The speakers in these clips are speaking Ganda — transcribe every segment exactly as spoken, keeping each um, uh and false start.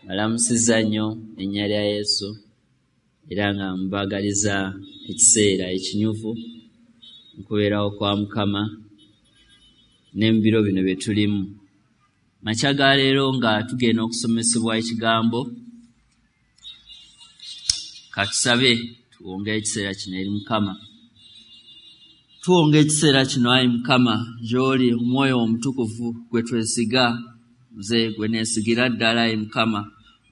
Balamusizza nnyo erinnya lya Yesu era nga mbaagaliza ekiseera ekinyuvu mu kubeerawo kwa Mukama ne mu biro bino bye tulimu. Makya ga leero nga tugenda okusomesebwa ekigambo, ka tusabe tuwonge ekiseera kino eri Mukama. Tuwonga ekiseera kino ayi Mukama gy'oli Omwoyo Omutukuvu gwe twesiga, nze gwe neesigira ddala ayi Mukama,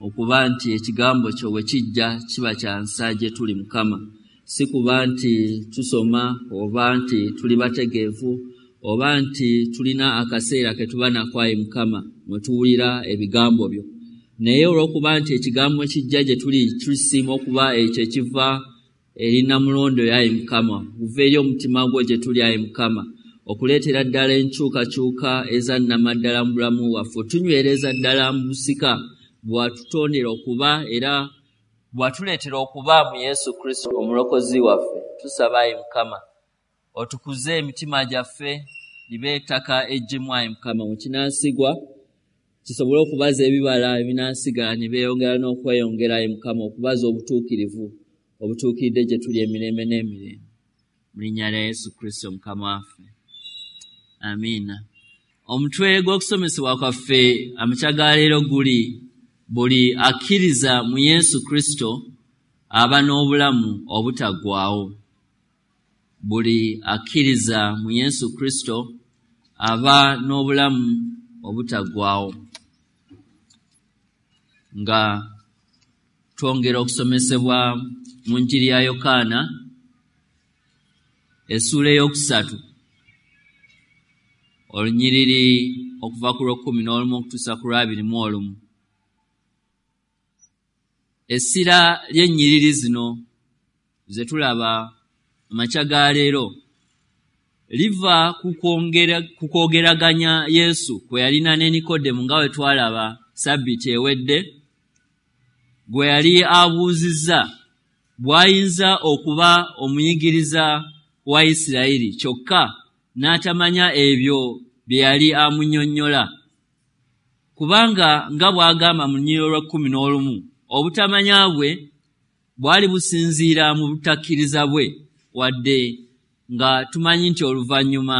okuba nti ekigambo kyo bwe kijja kiba kya nsa gye tuli Mukama. Si kuba nti tusoma oba nti tuli bategeevu oba nti tulina akaseera ke tuba nako ayi Mukama mwe tuwulira ebigambo byo, naye olw'okuba nti ekigambo kijja gye tuli tusiima okuba ekyo ekiva eri Nnamulondo ayi Mukama, kuva eri omutima gwo gye tuli ayi Mukama, okuleetera ddala enkyukakyuka eza nnamaddala mu bulamu bwaffe, otunywereza ddala mu busika bw'atutondera okuba era bw'atuleetera okuba mu Yesu Kristo omulokozi waffe. Tusaba ayi Mukama otukuze emitima gyaffe libe ettaka eggimu ayi Mukama, mu kinaasigwa kisobole okubaza ebibala ebinaasigala ne beeyongera n'okweyongera ayi Mukama, okubaza obutuukirivu obutuukiridde gye tuli emirembe n'emirembe. Mu linnya lya Yesu Kristo Mukama waffe, amiina. Omutwe gw'okusomesebwa kwaffe amakya ga leero guli buli akkiriza mu Yesu Kristo aba n'obulamu obutaggwaawo. Buli akkiriza mu Yesu Kristo aba n'obulamu obutaggwaawo. Nga twongera okusomesebwa mu Njiri ya Yokaana essuula ey'okusatu olunyiriri okuva ku lw'ekkumi n'olumu okutuusa ku lw'abiri mu olumu. Essira ly'ennyiriri zino ze tulaba amakya ga leero liva ku kwogeraganya Yesu kwe yalina ne Nikodemu nga bwe twalaba Ssabbiiti ewedde, gwe yali abuuzizza bw'ayinza okuba omuyigiriza wa Isirayiri kyokka n'atamanya ebyo bye yali amunnyonnyola. Kubanga nga bw'agamba mu lunyiriri olw'ekkumi n'olumu, obutamanya bwe bwali businziira mu butakkiriza bwe, wadde nga tumanyi nti oluvannyuma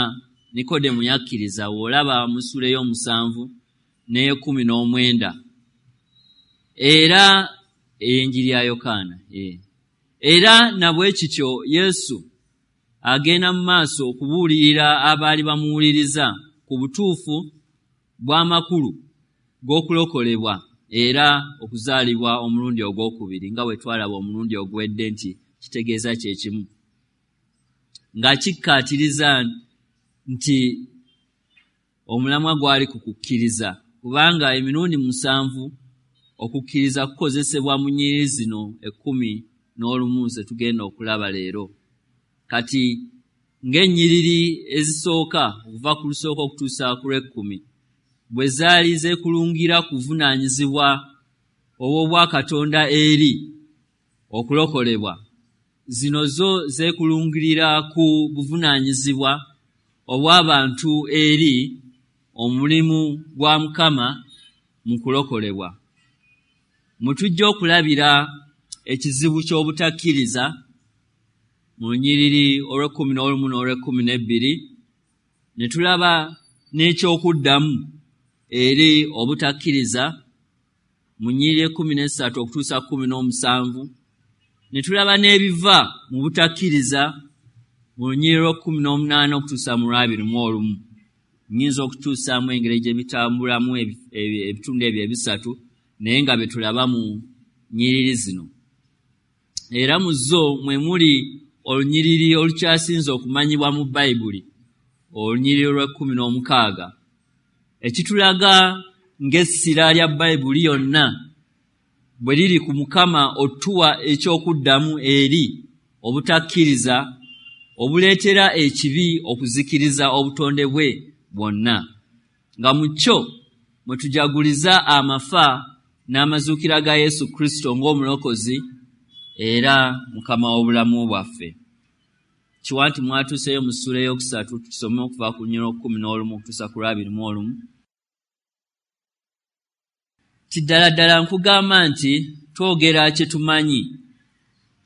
Nikodemu yakkiriza, w'olaba mu ssuula ey'omusanvu n'ey'ekkumi n'omwenda. Era ey'Enjiri ya Yokaana. Era na bwe kityo Yesu agenda mu maaso okubuulirira abaali bamuwuliriza ku butuufu bw'amakulu g'okulokolebwa era okuzaalibwa omulundi ogwokubiri, nga bwe twalaba omulundi oguwedde nti kitegeeza kye kimu, nga kikkaatiriza nti omulamwa gwali ku kukkiriza, kubanga emirundi musanvu okukkiriza kukozesebwa mu nnyiriri zino ekkumi n'olumu ze tugenda okulaba leero. Kati ng'ennyiriri ezisooka okuva ku lusooka okutuusa ku lw'ekkumi bwe zaali zeekulungira ku buvunaanyizibwa obw'Obwakatonda eri okulokolebwa, zino zo zeekulungirira ku buvunaanyizibwa obw'abantu eri omulimu gwa Mukama mu kulokolebwa. Mwe tujja okulabira ekizibu ky'obutakkiriza mu lunyiriri olw'ekkumi n'olumu n'olw'ekkumi n'ebbiri, ne tulaba n'ekyokuddamu eri obutakkiriza mu nnyiriri ekkumi n'essatu okutuusa kkumi n'omusanvu, ne tulaba n'ebiva mu butakkiriza mu lunyiriri olw'ekkumi n'omunaana okutuusa mu lw'abiri mu olumu. Nnyinza okutuusaamu engeri gye bitambulamu ebitundu ebyo ebisatu, naye nga bye tulaba mu nnyiriri zino. Era mu zo mwe muli olunyiriri olukyasinze okumanyibwa mu Bayibuli, olunyiriri olw'ekkumi n'omukaaga, ekitulaga ng'essira lya Bayibuli yonna bwe liri ku Mukama otuwa ekyokuddamu eri obutakkiriza obuleetera ekibi okuzikiriza obutonde bwe bwonna, nga mu kyo mwe tujaguliza amafa n'amazuukira ga Yesu Kristo ng'omulokozi era Mukama w'obulamu bwaffe. Kiwa nti mwatuuseeyo mu ssuula ey'okusatu, tusome okuva ku lunyiriri olw'ekkumi n'olumu okutuusa ku lw'abiri mu olumu. Ti ddala ddala nkugamba nti twogera kye tumanyi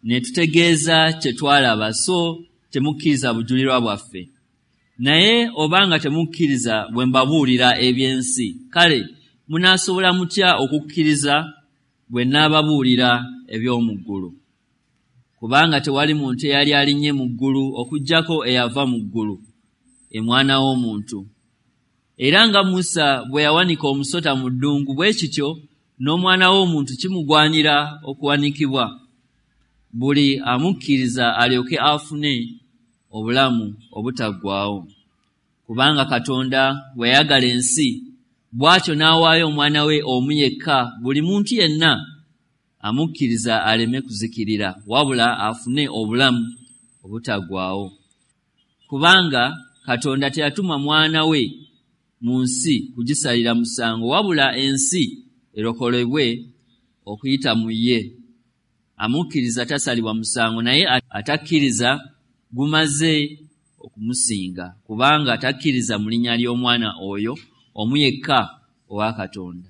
ne tutegeeza kye twalaba, so temukkiriza bujulirwa bwaffe. Naye obanga temukkiriza bwe mbabuulira eby'ensi, kale munaasobola mutya okukkiriza bwe nnaababuulira eby'omu ggulu? Kubanga tewali muntu eyali alinnye mu ggulu okuggyako eyava mu ggulu, Omwana w'omuntu. Era nga Musa bwe yawanika omusota mu ddungu, bwe kityo n'Omwana w'omuntu kimugwanira okuwanikibwa, buli amukkiriza alyoke afune obulamu obutaggwaawo. Kubanga Katonda bwe yayagala ensi, bw'atyo n'awaayo Omwana we omu yekka, buli muntu yenna amukkiriza aleme kuzikirira, wabula afune obulamu obutaggwaawo. Kubanga Katonda teyatuma Mwana we mu nsi kugisalira musango, wabula ensi erokolebwe okuyita mu ye. Amukkiriza tasalibwa musango, naye atakkiriza gumaze okumusinga, kubanga takkiriza mu linnya ly'Omwana oyo omu yekka owa Katonda.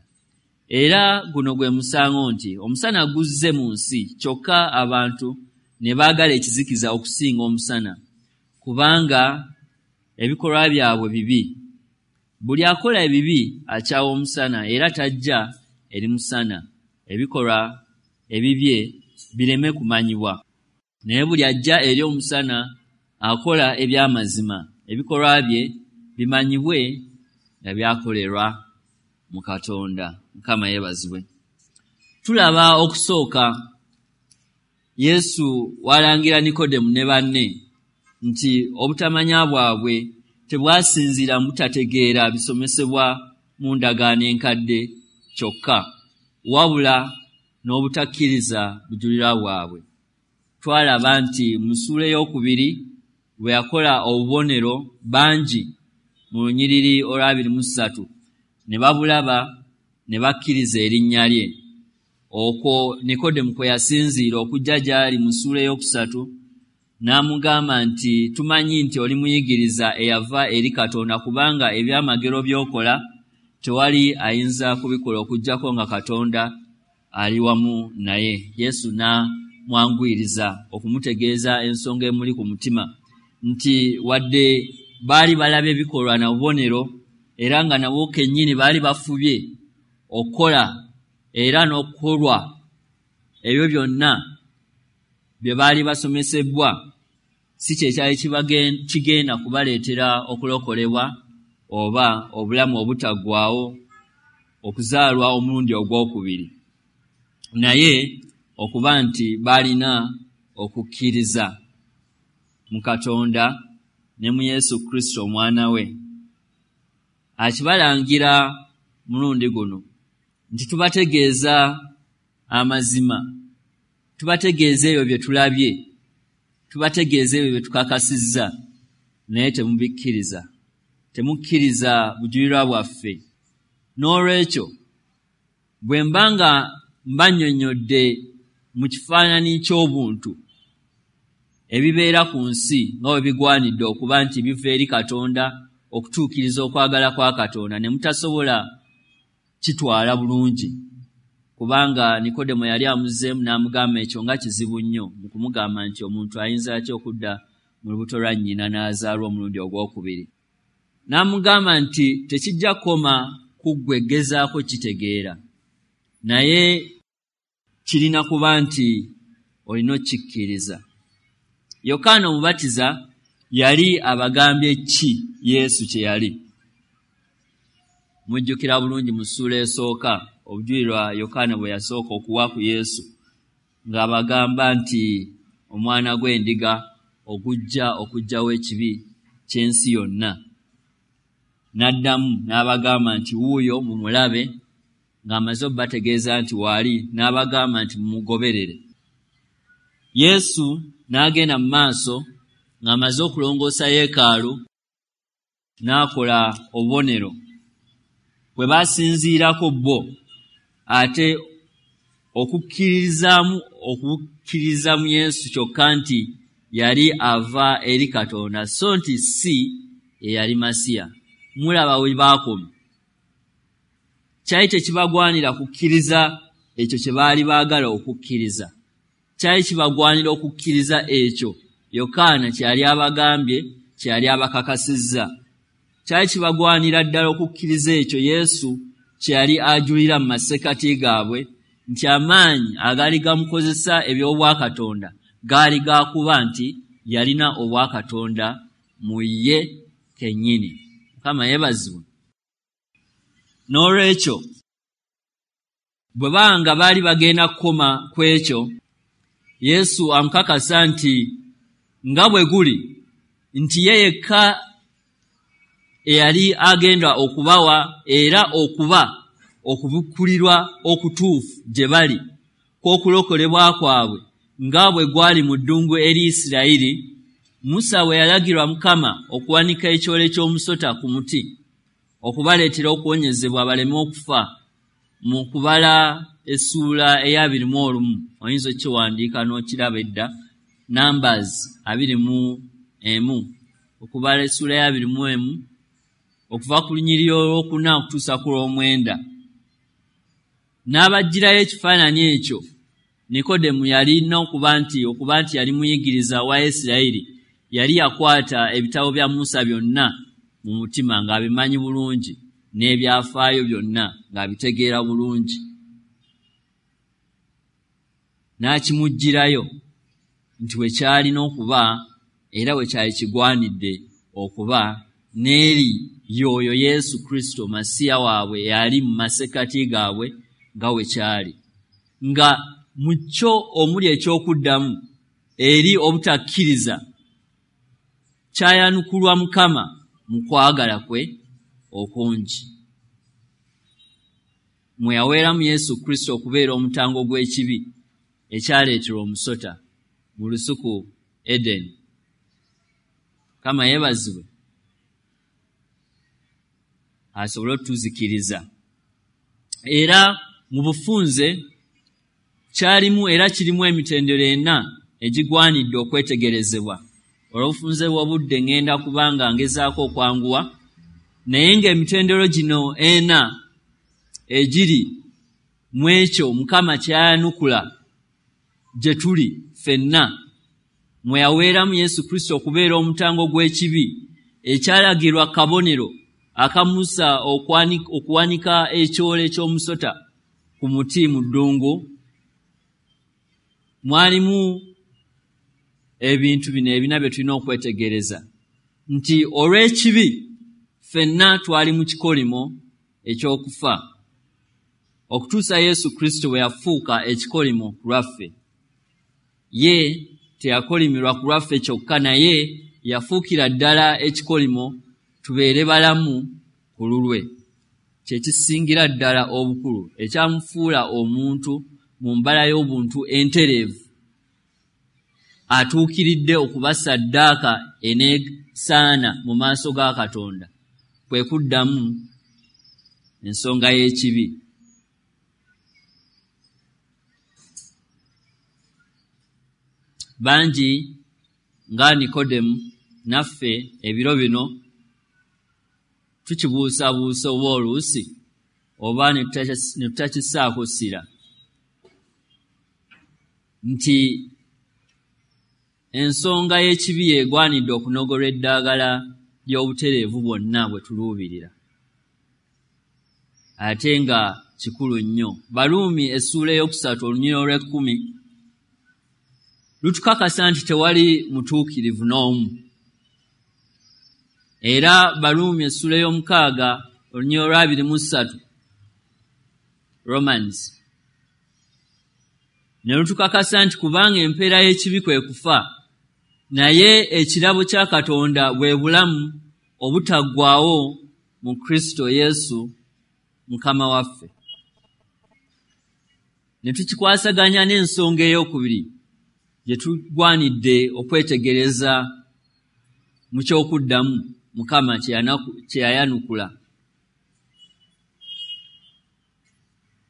Era guno gwe musango nti omusana guzze mu nsi, kyokka abantu ne baagala ekizikiza okusinga omusana, kubanga ebikolwa byabwe bibi. Buli akola ebibi akyawa omusana, era tajja eri musana, ebikolwa ebibye bireme kumanyibwa. Naye buli ajja eri omusana akola eby'amazima, ebikolwa bye bimanyibwe nga byakolerwa mu Katonda. Mukama yeebazibwe. Tulaba okusooka Yesu walangira Nikodemu ne banne nti obutamanya bwabwe tebwasinziira mu butategeera bisomesebwa mu ndagaano enkadde kyokka, wabula n'obutakkiriza bujulirwa bwabwe. Twalaba nti mu ssuula ey'okubiri bwe yakola obubonero bangi mu lunyiriri olw'abiri mu ssatu ne babulaba ne bakkiriza erinnya lye. Okwo Nikodemu kwe yasinziira okujja gy'ali mu ssuula ey'okusatu n'amugamba nti tumanyi nti oli muyigiriza eyava eri Katonda, kubanga ebyamagero by'okola tewali ayinza kubikola okuggyako nga Katonda ali wamu naye. Yesu n'amwanguyiriza okumutegeeza ensonga emuli ku mutima nti wadde baali balaba ebikolwa na bubonero, era nga nabo kennyini baali bafubye okukola era n'okukolwa ebyo byonna bye baali basomesebwa, si kye kyali kigenda kubaleetera okulokolebwa oba obulamu obutaggwaawo, okuzaalwa omulundi ogwokubiri, naye okuba nti baalina okukkiriza mu Katonda ne mu Yesu Kristo Omwana we. Akibalangira mulundi guno nti tubategeeza amazima, tubategeeza ebyo bye tulabye, tubategeeza ebyo bye tukakasizza, naye temubikkiriza, temukkiriza bujulirwa bwaffe. N'olwekyo bwe mba nga mbannyonnyodde mu kifaananyi ky'obuntu ebibeera ku nsi nga bwe bigwanidde okuba nti biva eri Katonda okutuukiriza okwagala kwa Katonda, ne mutasobola kitwala bulungi, kubanga Nikodemo yali amuzzeemu n'amugamba ekyo nga kizibu nnyo mu kumugamba nti omuntu ayinza atya okudda mu lubuto lwa nnyina n'azaalwa omulundi ogwokubiri. N'amugamba nti tekijja kukoma ku ggwe gezaako kitegeera, naye kirina kuba nti olina okkikkiriza. Yokaana Omubatiza yali abagambye ki Yesu kye yali? Mujjukira bulungi mu ssuula esooka obujulirwa Yokaana bwe yasooka okuwa ku Yesu, ng'abagamba nti omwana gw'endiga ogujja okuggyawo ekibi ky'ensi yonna. N'addamu n'abagamba nti wuuyo mumulabe, ng'amaze obbategeeza nti waali, n'abagamba nti mumugoberere. Yesu n'agenda mu maaso ng'amaze okulongoosa yeekaalu n'akola obubonero bwe basinziirako bo, ate okukkirizaamu okukkiriza mu Yesu kyokka nti yali ava eri Katonda, so nti si ye yali Masiya. Mulaba we baakoma. Kyali tekibagwanira kukkiriza ekyo kye baali baagala okukkiriza. Kyali kibagwanira okukkiriza ekyo Yokaana kye yali abagambye, kye yali abakakasizza. Kyali kibagwanira ddala okukkiriza ekyo Yesu kye yali ajulira mu masekkati gaabwe, nti amaanyi agaali gamukozesa eby'obwakatonda gaali gakuba nti yalina obwakatonda mu ye kennyini. Mukama yeebazibwe. N'olwekyo bwe banga baali bagenda kukoma ku ekyo, Yesu amukakasa nti nga bwe guli nti ye yekka eyali agenda okubawa era okuba okubikkulirwa okutuufu gye bali kw'okulokolebwa kwabwe nga bwe gwali mu ddungu eri Isirayiri, Musa bwe yalagirwa Mukama okuwanika ekyole ky'omusota ku muti okubaleetera okuwonyezebwa baleme okufa, mu kubala essuula ey'abiri mu olumu, oyinza okkiwandiika n'okiraba edda, Numbers abiri mu emu, okubala essuula ey'abiri mu emu okuva ku lunyiriri olwokuna okutuusa ku lw'omwenda. N'abaggyirayo ekifaananyi ekyo. Nikodemu yalina okuba nti okuba nti yali muyigiriza wa Isirayiri, yali yakwata ebitabo bya Musa byonna mu mutima ng'abimanyi bulungi, n'ebyafaayo byonna ng'abitegeera bulungi. N'akimuggyirayo nti we kyalina okuba era we kyali kigwanidde okuba, n'eri y'oyo Yesu Kristo Masiya waabwe yali mu masekkati gaabwe nga we kyali, nga mu kyo omuli eky'okuddamu eri obutakkiriza kyayanukulwa Mukama mu kwagala kwe okungi, mwe yaweeramu Yesu Kristo okubeera omutango gw'ekibi ekyaleeterwa omusota mu lusuku Edeni. Mukama yeebazibwe, asobole otuzikiriza. Era mu bufunze kyalimu era kirimu emitendera ena egigwanidde okwetegerezebwa. Olw'obufunze bw'obudde ngenda kubanga ngezaako okwanguwa, naye ng'emitendero gino ena egiri mu ekyo Mukama kyayanukula gye tuli ffenna, mwe yaweeramu Yesu Kristo okubeera omutango gw'ekibi ekyalagirwa kabonero aka Musa okuwanika ekyole ky'omusota ku muti mu ddungu. Mwalimu ebintu bino ebina bye tulina okwetegereza, nti olw'ekibi ffenna twali mu kikolimo eky'okufa okutuusa Yesu Kristo bwe yafuuka ekikolimo ku lwaffe. Ye teyakolimirwa ku lwaffe kyokka, naye yafuukira ddala ekikolimo tubeere balamu ku lulwe. Kye kisingira ddala obukulu ekyamufuula omuntu mu mbala y'obuntu entereevu, atuukiridde okuba ssaddaaka eneesaana mu maaso ga Katonda, kwe kuddamu ensonga y'ekibi. Bangi nga Nikodemu naffe ebiro bino tukibuusabuusa oba oluusi oba ne tutakissaako ssira nti ensonga y'ekibi yeegwanidde okunogolwa eddagala ly'obutereevu bwonna bwe tuluubirira, ate nga kikulu nnyo. Baluumi essuula ey'okusatu olunyiriri olw'ekkumi lutukakasa nti tewali mutuukirivu n'omu. Era Baluumi essuula ey'omukaaga olunyiriri olw'abiri mu ssatu, Romans, ne lutukakasa nti kubanga empeera y'ekibi kwe kufa, naye ekirabo kya Katonda bwe bulamu obutaggwaawo mu Kristo Yesu Mukama waffe. Ne tukikwasaganya n'ensonga ey'okubiri gye tugwanidde okwetegereza mu ky'okuddamu Mukama kye yayanukula,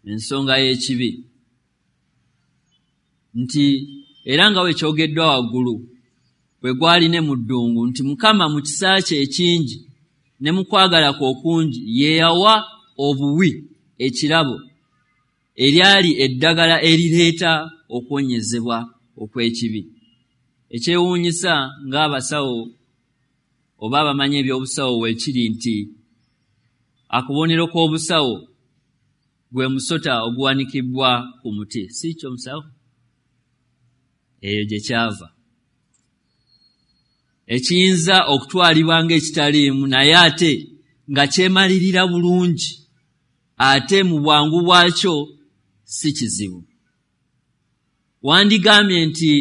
ensonga y'ekibi, nti era nga bwe kyogeddwa waggulu bwe gwali ne mu ddungu, nti Mukama mu kisa kye ekingi ne mu kwagala kwe okungi ye yawa obuwi ekirabo, eryali eddagala erireeta okuwonyezebwa okw'ekibi. Ekyewuunyisa ng'abasawo oba abamanyi ebyobusawo weekiri nti akabonero k'obusawo gwe musota oguwanikibwa ku muti, si kyo musawo? Eyo gye kyava. Ekiyinza okutwalibwa ng'ekitaliimu naye ate nga kyemalirira bulungi, ate mu bwangu bwakyo si kizibu. Wandigambye nti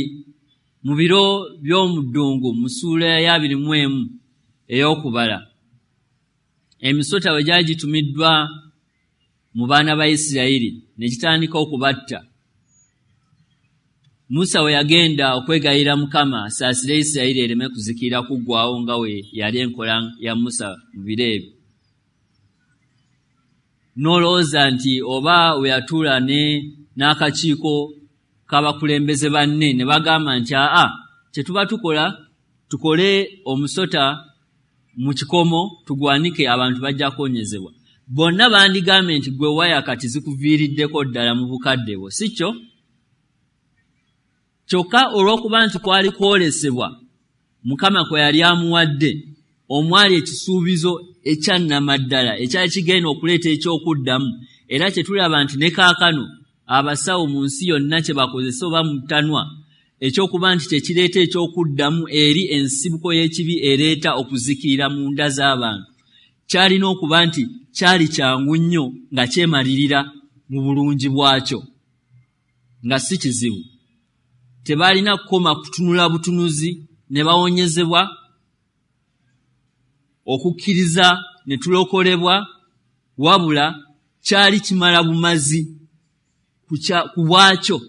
mu biro by'omu ddungu mu ssuula ya abiri mu emu ey'okubala, emisota bwe gyali gitumiddwa mu baana ba Isirayiri ne gitandika okubatta, Musa we yagenda okwegayirira Mukama asaasire Isirayiri ereme kuzikirira kuggwaawo nga we yali enkola ya Musa mu biro ebyo, n'olowooza nti oba we yatuula ne n'akakiiko k'abakulembeze banne ne bagamba nti aa, kye tuba tukola tukole omusota mu kikomo tugwanike, abantu bajja kuwonyezebwa. Bonna bandigambye nti gwe waya kati zikuviiriddeko ddala mu bukadde bwo, si kyo? Kyokka olw'okuba nti kwali kwolesebwa Mukama kwe yali amuwadde, omwali ekisuubizo ekyannamaddala ekyali kigenda okuleeta ekyokuddamu, era kye tulaba nti ne kaakano abasawo mu nsi yonna kye bakozesa oba mu ttanwa, ekyokuba nti kye kireeta ekyokuddamu eri ensibuko y'ekibi ereeta okuzikirira mu nda z'abantu, kyalina okuba nti kyali kyangu nnyo nga kyemalirira mu bulungi bwakyo, nga si kizibu. Tebalina kukoma kutunula butunuzi ne bawonyezebwa, okukkiriza ne tulokolebwa, wabula kyali kimala bumazi ku bwakyo.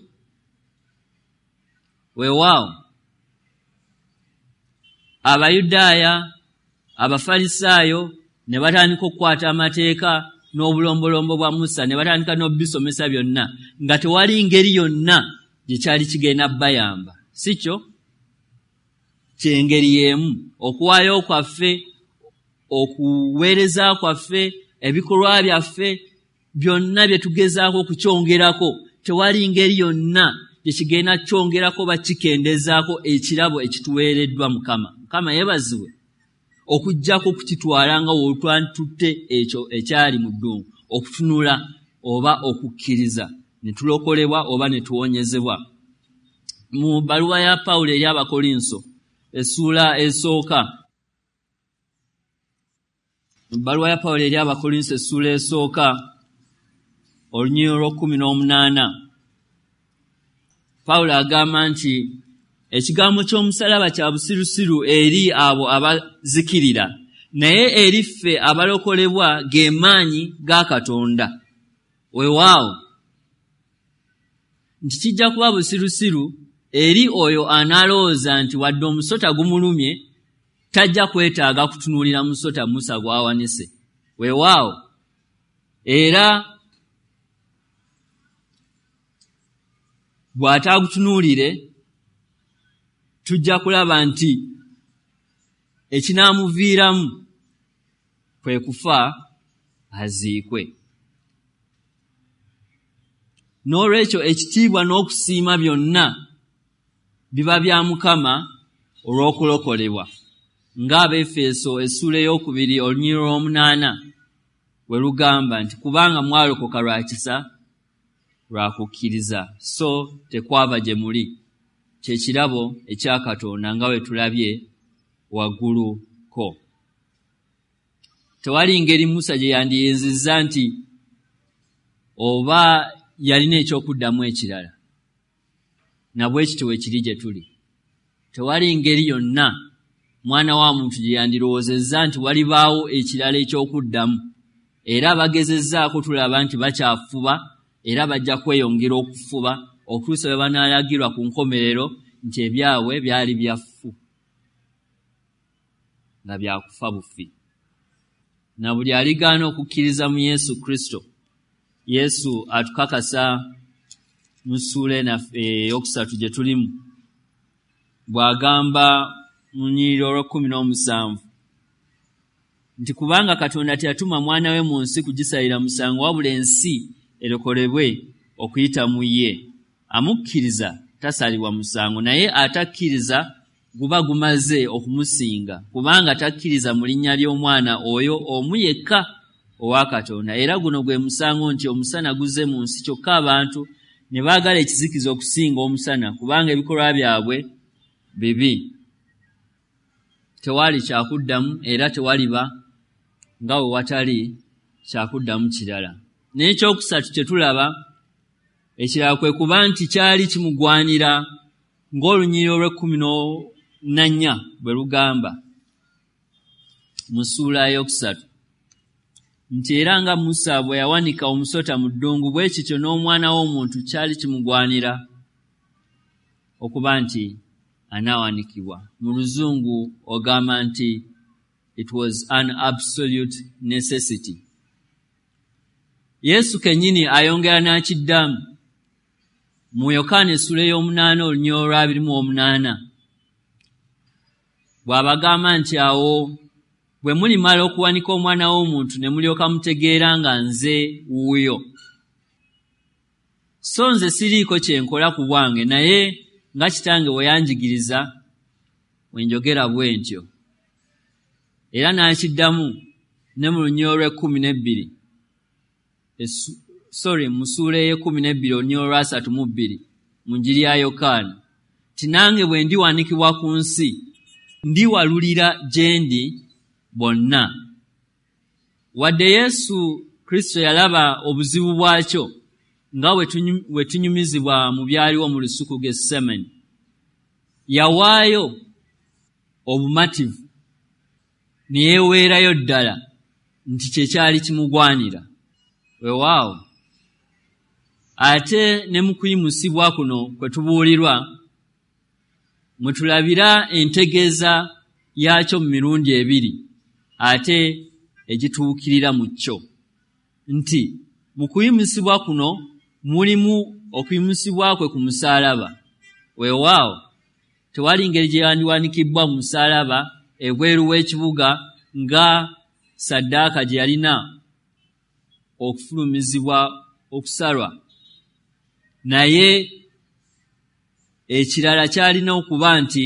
Weewaawo Abayudaaya, Abafalisaayo ne batandika okukwata amateeka n'obulombolombo bwa Musa ne batandika n'obisomesa byonna, nga tewali ngeri yonna gye kyali kigenda bayamba, si kyo? Kyengeri y'emu okuwaayo kwaffe, okuweereza kwaffe, ebikolwa byaffe byonna bye tugezaako okukyongerako, tewali ngeri yonna gye kigenda kyongerako oba kikendezaako ekirabo ekituweereddwa Mukama. Mukama yeebazibwe okuggyako okukitwala nga w'otwantutte ekyo ekyali mu ddungu, okutunula oba okukkiriza ne tulokolebwa oba ne tuwonyezebwa. Mu bbaluwa ya Pawulo eri Abakolinso essuula esooka, mu bbaluwa ya Pawulo eri Abakolinso essuula esooka olunyiriri olw'ekkumi n'omunaana, Pawulo agamba nti ekigambo ky'omusalaba kya busirusiru eri abo abazikirira, naye eri ffe abalokolebwa ge maanyi ga Katonda. Weewaawo nti kijja kuba busirusiru eri oyo anaalowooza nti wadde omusota gumulumye tajja kwetaaga kutunuulira musota Musa gw'awanise. Weewaawo era bw'ataagutunuulire tujja kulaba nti ekinaamuviiramu kwe kufa aziikwe. N'olwekyo ekitiibwa n'okusiima byonna biba bya Mukama olw'okulokolebwa, ng'Abaefeso essuula ey'okubiri olunyiriri olw'omunaana we lugamba nti kubanga mwalokoka lwa kisa lwa kukkiriza, so tekwava gye muli, kye kirabo ekya Katonda nga bwe tulabye waggulu ko. Tewali ngeri Musa gye yandiyinzizza nti oba yalina ekyokuddamu ekirala, na bwe kityo bwe kiri gye tuli. Tewali ngeri yonna mwana wa muntu gye yandirowoozezza nti walibaawo ekirala ekyokuddamu, era abagezezzaako tulaba nti bakyafuba era bajja kweyongera okufuba okutuusa bwe banaalagirwa ku nkomerero nti ebyabwe byali byaffu nga byakufa bufi. Na buli aligaana okukkiriza mu Yesu Kristo, Yesu atukakasa mu ssuula eyokusatu gye tulimu bw'agamba mu lunyiriri olw'ekkumi n'omusanvu nti kubanga Katonda teyatuma mwana we mu nsi kugisalira musango, wabula ensi erokolebwe okuyita mu ye. Amukkiriza tasalibwa musango, naye atakkiriza guba gumaze okumusinga, kubanga takkiriza mu linnya ly'omwana oyo omu yekka owa Katonda. Era guno gwe musango nti omusana guzze mu nsi, kyokka abantu ne baagala ekizikiza okusinga omusana, kubanga ebikolwa byabwe bibi. Tewali kyakuddamu era tewaliba nga we watali kyakuddamu kirala. N'ekyokusatu kye tulaba ekirala kwe kuba nti kyali kimugwanira ng'olunyiriri olw'ekkumi na nnya bwe lugamba mu ssuula ey'okusatu nti era nga Musa bwe yawanika omusota mu ddungu, bwe kityo n'omwana w'omuntu kyali kimugwanira okuba nti anaawanikibwa. Mu Luzungu ogamba nti it was an absolute necessity. Yesu kennyini ayongera n'akiddamu mu Yokaana essula ey'omunaana olunyiriri olw'abiri mu omunaana bw'abagamba nti awo bwe mulimala okuwanika omwana w'omuntu ne mulyoka mutegeera nga nze wuuyo. So nze siriiko kye nkola ku bwange, naye nga kitange bwe yanjigiriza bwe njogera bwe ntyo. Era n'akiddamu ne mu lunyiriri olw'ekkumi n'ebbiri sorry mu ssuula ey'ekkumi n'ebbiri olunyiriri olw'asatu mu bbiri mu njiri ya Yokaana nti nange bwe ndiwanikibwa ku nsi ndiwalulira gye ndi bonna. Wadde Yesu Kristo yalaba obuzibu bwakyo nga bwe tunyumizibwa mu byaliwo mu lusuku Getsemane, yawaayo obumativu ne yeeweerayo ddala nti kye kyali kimugwanira. Weewaawo ate ne mu kuyimusibwa kuno kwe tubuulirwa mwe tulabira entegeeza yaakyo mu mirundi ebiri ate egituukirira mu kyo, nti mu kuyimusibwa kuno mulimu okuyimusibwa kwe ku musaalaba. Weewaawo tewali ngeri gye yandiwanikibbwa mu musaalaba ebweru w'ekibuga nga saddaaka gye yalina okufulumizibwa okusalwa, naye ekirala kyalina okuba nti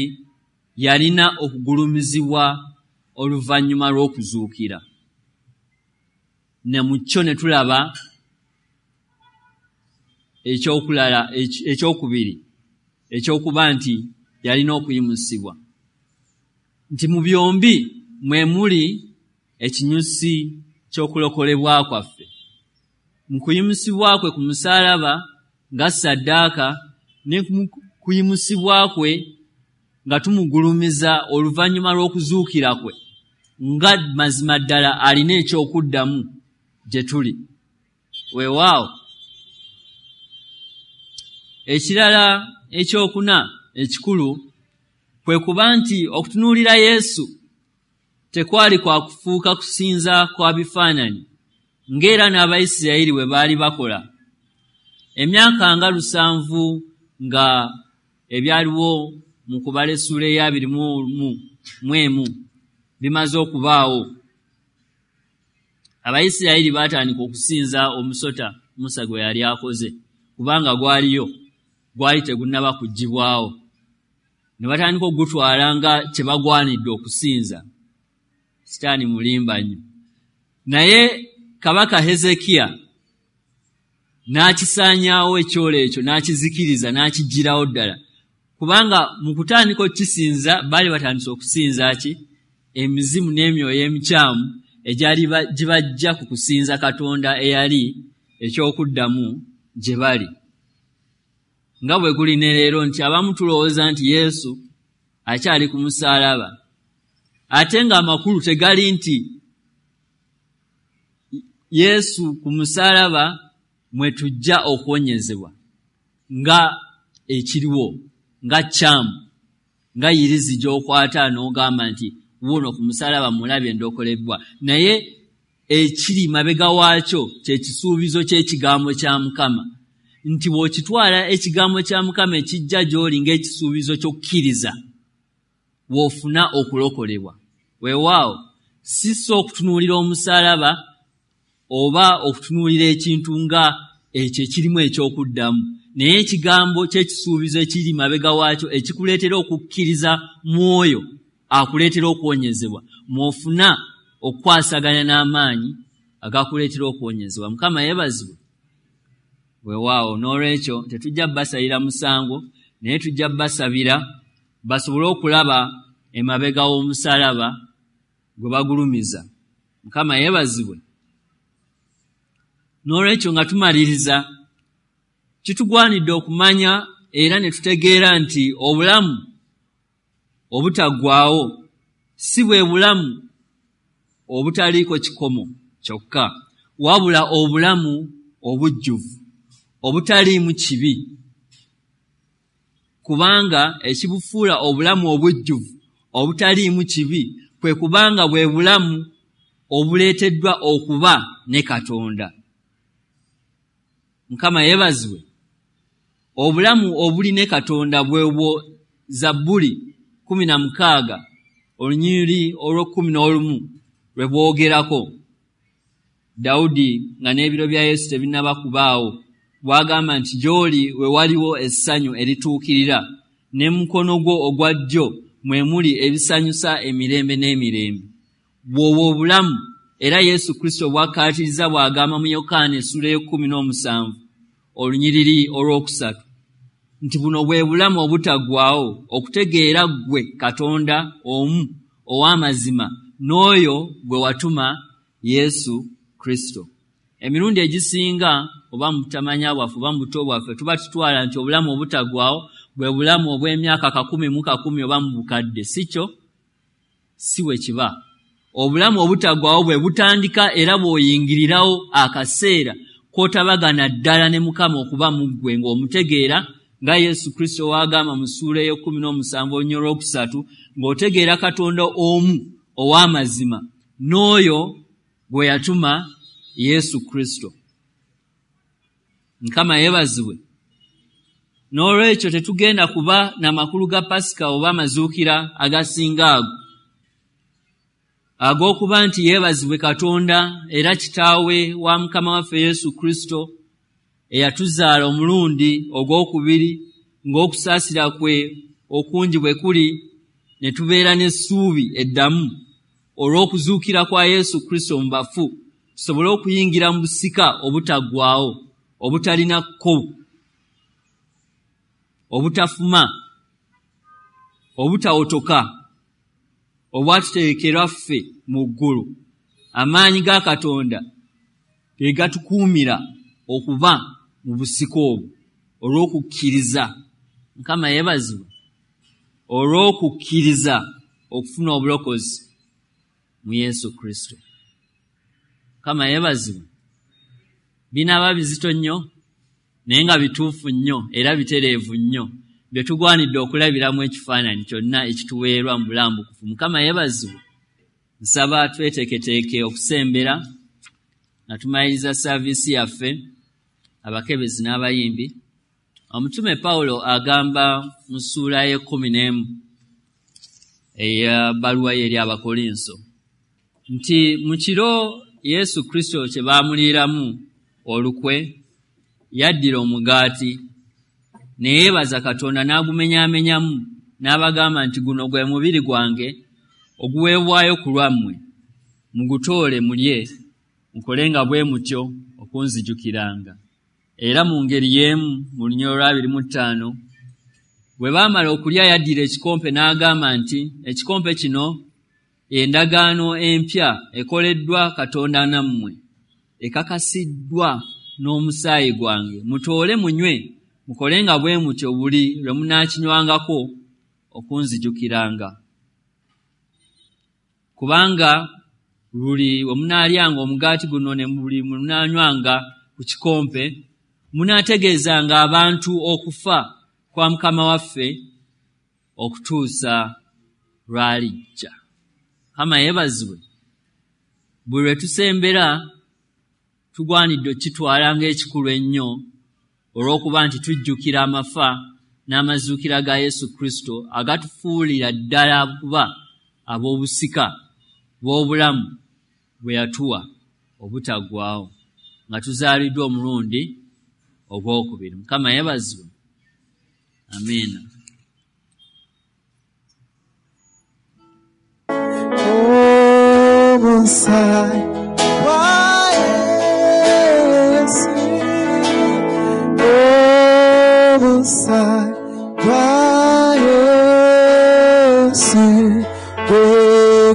yalina okugulumizibwa oluvannyuma lw'okuzuukira. Ne mu kyo ne tulaba ekyokulala ekyokubiri ekyokuba nti yalina okuyimusibwa, nti mu byombi mwe muli ekinyusi ky'okulokolebwa kwaffe. Mu kuyimusibwa kwe ku musaalaba nga saddaaka, ne mu kuyimusibwa kwe nga tumugulumiza oluvannyuma lw'okuzuukira kwe nga mazima ddala alina ekyokuddamu gye tuli. Weewaawo ekirala ekyokuna ekikulu kwe kuba nti okutunuulira Yesu tekwali kwa kufuuka kusinza kwa bifaananyi ng'era n'Abayisirayiri bwe baali bakola. Emyaka nga lusanvu nga ebyaliwo mu kubala essuula ey'abiri mu emu bimaze okubaawo, Abayisirayiri baatandika okusinza omusota Musa gwe yali akoze, kubanga gwaliyo, gwali tegunnaba kuggyibwawo. Ne batandika okugutwala nga kye bagwanidde okusinza. Sitaani mulimba nnyo. Naye Kabaka Hezekiya n'akisaanyaawo ekyolo ekyo, n'akizikiriza, n'akiggyirawo ddala, kubanga mu kutandika okukisinza baali batandise okusinza ki? Emizimu n'emyoyo emikyamu egyali gibajja ku kusinza Katonda eyali ekyokuddamu gye bali. Nga bwe guli ne leero nti abamu tulowooza nti Yesu akyali ku musaalaba, ate ng'amakulu tegali nti Yesu ku musaalaba mwe tujja okuwonyezebwa nga ekiriwo, nga kyamu, nga yirizi gy'okwata n'ogamba nti wuuno ku musaalaba mulabye ndokolebwa. Naye ekiri mabega waakyo kye kisuubizo ky'ekigambo kya Mukama, nti bw'okitwala ekigambo kya Mukama ekijja gy'oli ng'ekisuubizo ky'okkiriza, w'ofuna okulokolebwa. Weewaawo Si so okutunuulira omusaalaba oba okutunuulira ekintu nga ekyo ekirimu ekyokuddamu, naye ekigambo ky'ekisuubizo ekiri mabega waakyo ekikuleetera okukkiriza mwoyo akuleetera okuwonyezebwa, mw'ofuna okukwasaganya n'amaanyi agakuleetera okuwonyezebwa. Mukama yeebazibwe. Weewaawo, n'olwekyo tetujja basalira musango, naye tujja basabira basobole okulaba emabega w'omusaalaba gwe bagulumiza. Mukama yeebazibwe. N'olwekyo nga tumaliriza, kitugwanidde okumanya era ne tutegeera nti obulamu obutaggwaawo si bwe bulamu obutaliiko kikomo kyokka, wabula obulamu obujjuvu obutaliimu kibi, kubanga ekibufuula obulamu obujjuvu obutaliimu kibi kwe kubanga bwe bulamu obuleeteddwa okuba ne Katonda. Mukama yeebazibwe. Obulamu obuli ne Katonda bwe bwo Zabbuli kkumi na mukaaga olunyiriri olw'ekkumi n'olumu lwe bwogerako. Dawudi nga n'ebiro bya Yesu tebinnaba kubaawo bw'agamba nti gy'oli we waliwo essanyu erituukirira, ne mu mukono gwo ogwa ddyo mwe muli ebisanyusa emirembe n'emirembe. Bw'obwo obulamu era Yesu Kristo bw'akkaatiriza bw'agamba mu Yokaana essuula ey'ekkumi n'omusanvu olunyiriri olwokusatu nti buno bwe bulamu obutaggwaawo, okutegeera ggwe Katonda omu ow'amazima n'oyo gwe watuma Yesu Kristo. Emirundi egisinga oba mu butamanya bwaffe oba mu buto bwaffe tuba tutwala nti obulamu obutaggwaawo bwe bulamu obw'emyaka kakumi mu kakumi oba mu bukadde. Si kyo, si bwe kiba. Obulamu obutaggwaawo bwe butandika era bw'oyingirirawo akaseera k'otabagana ddala ne Mukama okuba mu ggwe ng'omutegeera nga Yesu Kristo w'agamba mu ssuula ey'ekkumi n'omusanvu olunyiriri olwokusatu ng'otegeera Katonda omu ow'amazima n'oyo gwe yatuma Yesu Kristo. Mukama yeebazibwe. N'olwekyo tetugenda kuba na makulu ga Pasika oba amazuukira agasinga ago ag'okuba nti yeebazibwe Katonda era Kitaawe wa Mukama waffe Yesu Kristo eyatuzaala omulundi ogwokubiri ng'okusaasira kwe okungi bwe kuli, ne tubeera n'essuubi eddamu olw'okuzuukira kwa Yesu Kristo mu bafu, tusobole okuyingira mu busika obutaggwaawo, obutalina kko, obutafuma, obutawotoka, obwatutegekerwa ffe mu ggulu. Amaanyi ga Katonda ge gatukuumira okuba mu busika obwo olw'okukkiriza. Mukama yeebazibwe. Olw'okukkiriza okufuna obulokozi mu Yesu Kristo. Mukama yeebazibwe. Binaaba bizito nnyo naye nga bituufu nnyo era bitereevu nnyo bye tugwanidde okulabiramu ekifaananyi kyonna ekituweerwa mu bulambukufu. Mukama yeebazibwe. Nsaba tweteeketeeke okusembera nga tumaliriza saaviisi yaffe, abakebezi n'abayimbi. Omutume Pawulo agamba mu ssuula y'ekkumi n'emu ey'ebbaluwa ye eri Abakolinso nti mu kiro Yesu Kristo kye baamuliiramu olukwe, yaddira omugaati ne yeebaza Katonda n'agumenyaamenyamu n'abagamba nti guno gwe mubiri gwange oguweebwayo ku lwammwe, mugutoole mulye, mukolenga bwe mutyo okunzijukiranga. Era mu ngeri y'emu mu lunyiriri olw'abiri mu ttaano bwe baamala okulya yaddira ekikompe n'agamba nti ekikompe kino endagaano empya ekoleddwa Katonda nammwe, ekakasiddwa n'omusaayi gwange, mutoole munywe, mukolenga bwe mutyo buli lwe munaakinywangako okunzijukiranga. Kubanga buli we munaalyanga omugaati guno ne buli munaanywanga ku kikompe, munaategeezanga abantu okufa kwa Mukama waffe okutuusa lw'alijja. Mukama yeebazibwe. Buli lwe tusembera tugwanidde okukitwala ng'ekikulu ennyo olw'okuba nti tujjukira amafa n'amazuukira ga Yesu Kristo agatufuulira ddala kuba ab'obusika bw'obulamu bwe yatuwa obutaggwaawo nga tuzaaliddwa omulundi ogwokubiri. Mukama yeebazibwe. Amiina. Omusaayi gwa Yesu, omusaayi gwa Yesu, gwe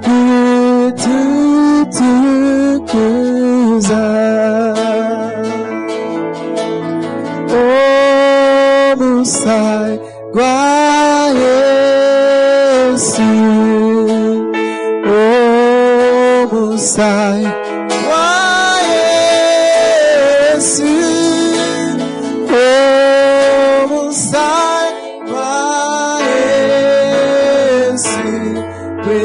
gututukuza. Omusaayi gwa Yesu, omusaayi gwa Yesu, omusaayi gwa Yesu, gwe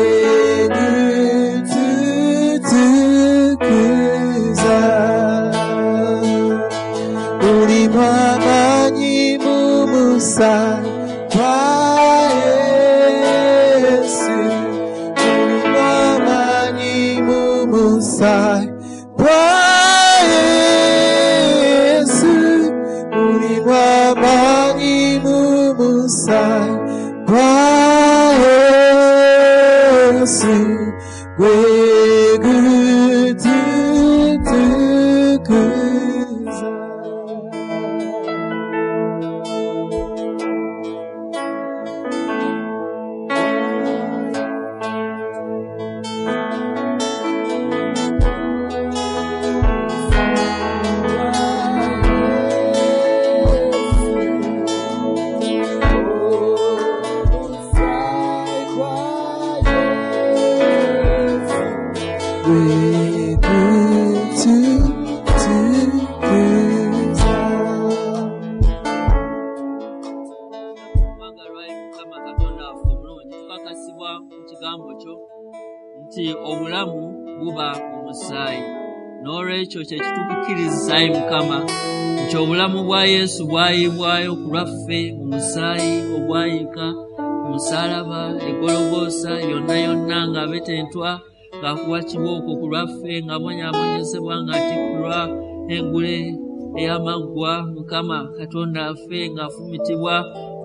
gututukuza. Mulimu amaanyi mu musaayi gwa Yesu, mulimu amaanyi mu musaayi gwa Yesu, mulimu amaanyi mu musaayi gwa Yesu, gwe gututukuza. Mwagalwa Mukama Katonda waffe omulungi, tukakasibwa mu kigambo kyo nti obulamu buba mu musaayi. N'olwekyo kye kitukukkiriza ayi Mukama nti obulamu bwa Yesu bwayiibwayo ku lwaffe mu musaayi ogwayiika ku musaalaba e Gologoosa yonna yonna ng'abetentwa, ng'akuwa kibooko ku lwaffe, ng'abonyaabonyezebwa, ng'atikkirwa engule ey'amaggwa. Mukama Katonda waffe ng'afumitibwa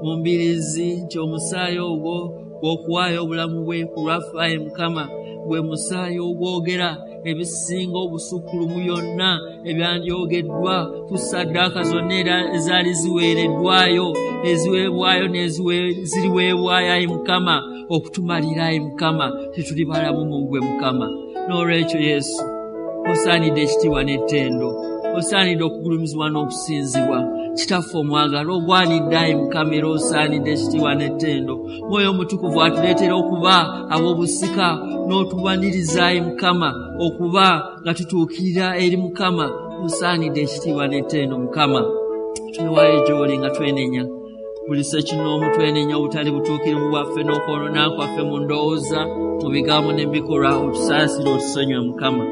mu mbiriizi nti omusaayi ogwo gw'okuwaayo obulamu bwe ku lwaffe ayi Mukama gwe musaayi ogwogera ebisinga obusukkulumu byonna ebyandyogeddwa ku ssaddaaka zonna era ezaali ziweereddwayo, eziweebwayo n'eziriweebwayo ayi Mukama okutumalira ayi Mukama tetuli balamu mu ggwe Mukama. N'olwekyo Yesu osaanidde ekitiibwa n'ettendo, osaanidde okugulumizibwa n'okusinzibwa. Kitaffe omwagalwa ogwanidde ayi Mukama era osaanidde ekitiibwa n'ettendo. Mwoyo Omutukuvu atuleetera okuba ab'obusika n'otubaniriza ayi Mukama okuba nga tutuukirira eri Mukama. Osaanidde ekitiibwa n'ettendo Mukama. Twewaayo gy'oli nga twenenya buli ssekinnoomu, twenenya obutali butuukirivu bwaffe n'okwonoona kwaffe mu ndowooza, mu bigambo n'ebikolwa. Otusaasire otusonyiwe Mukama,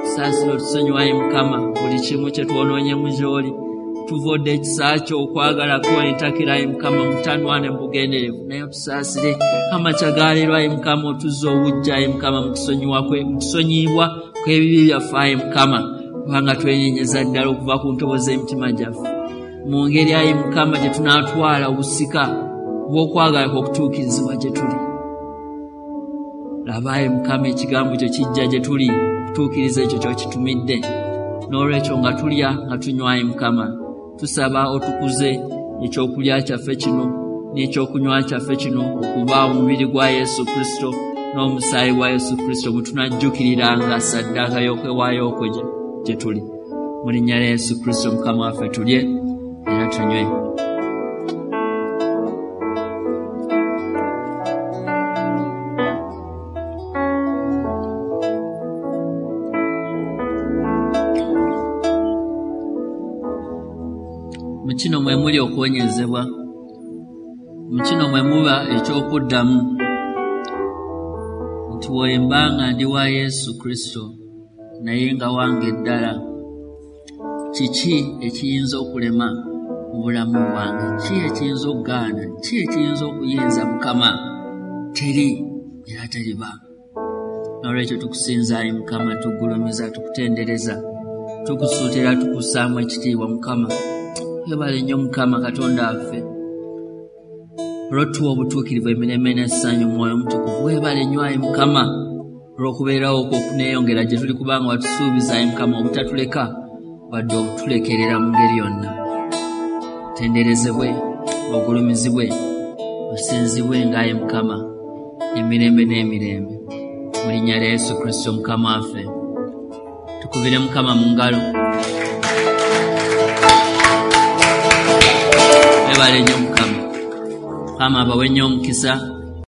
tusaasire otusonyiwe ayi Mukama buli kimu kye twonoonyemu gy'oli. Tuvodde ekisa kyo okwagala kwo entakera ayi Mukama mutanwane mu bugenderevu, naye otusaasire amakya ga leero ayi Mukama, otuzze obuggya ayi Mukama mutusonyiyibwa kw'ebibi byaffe ayi Mukama, kubanga twenyenyeza ddala okuva ku ntobo z'emitima gyaffe. Mu ngeri ayi Mukama gye tunaatwala obusika bw'okwagala kw'okutuukirizibwa gye tuli. Laba ayi Mukama ekigambo kyo kijja gye tuli okutuukiriza ekyo ky'okitumidde. N'olwekyo nga tulya nga tunywa ayi Mukama, tusaba otukuze ekyokulya kyaffe kino n'ekyokunywa kyaffe kino okuba omubiri gwa Yesu Kristo n'omusaayi gwa Yesu Kristo bwe tunajjukiriranga ssaddaaka y'okwewaayo okwo gye tuli. Mu linnya lya Yesu Kristo Mukama waffe tulye era tunywe. Mu kino mwe muli okuwonyezebwa, mu kino mwe muba eky'okuddamu nti bwe nga ndi wa Yesu Kristo naye nga wange ddala, kiki ekiyinza okulema mu bulamu bwange? Ki ekiyinza okugaana? Ki ekiyinza okuyinza Mukama? Teri era teriba. Nolwekyo tukusinza ayi Mukama, tugulumiza, tukutendereza, tukusuutira, tukussaamu ekitiibwa Mukama. Webale nnyo Mukama Katonda waffe olw'otuwa obutuukirivu, emirembe n'essanyu, Mwoyo Omutukuvu. Webale nnyo ayi Mukama olw'okubeerawo okwo okuneeyongera gye tuli, kubanga watusuubiza ayi Mukama obutatuleka wadde obutulekerera mu ngeri yonna. Tenderezebwe, ogulumizibwe, osinzibwe ng'ayi Mukama emirembe n'emirembe, mu linnya lya Yesu Kristo Mukama waffe. Tukubire Mukama mu ngalo. Webale nnyo Mukama. Mukama abawe nnyo omukisa.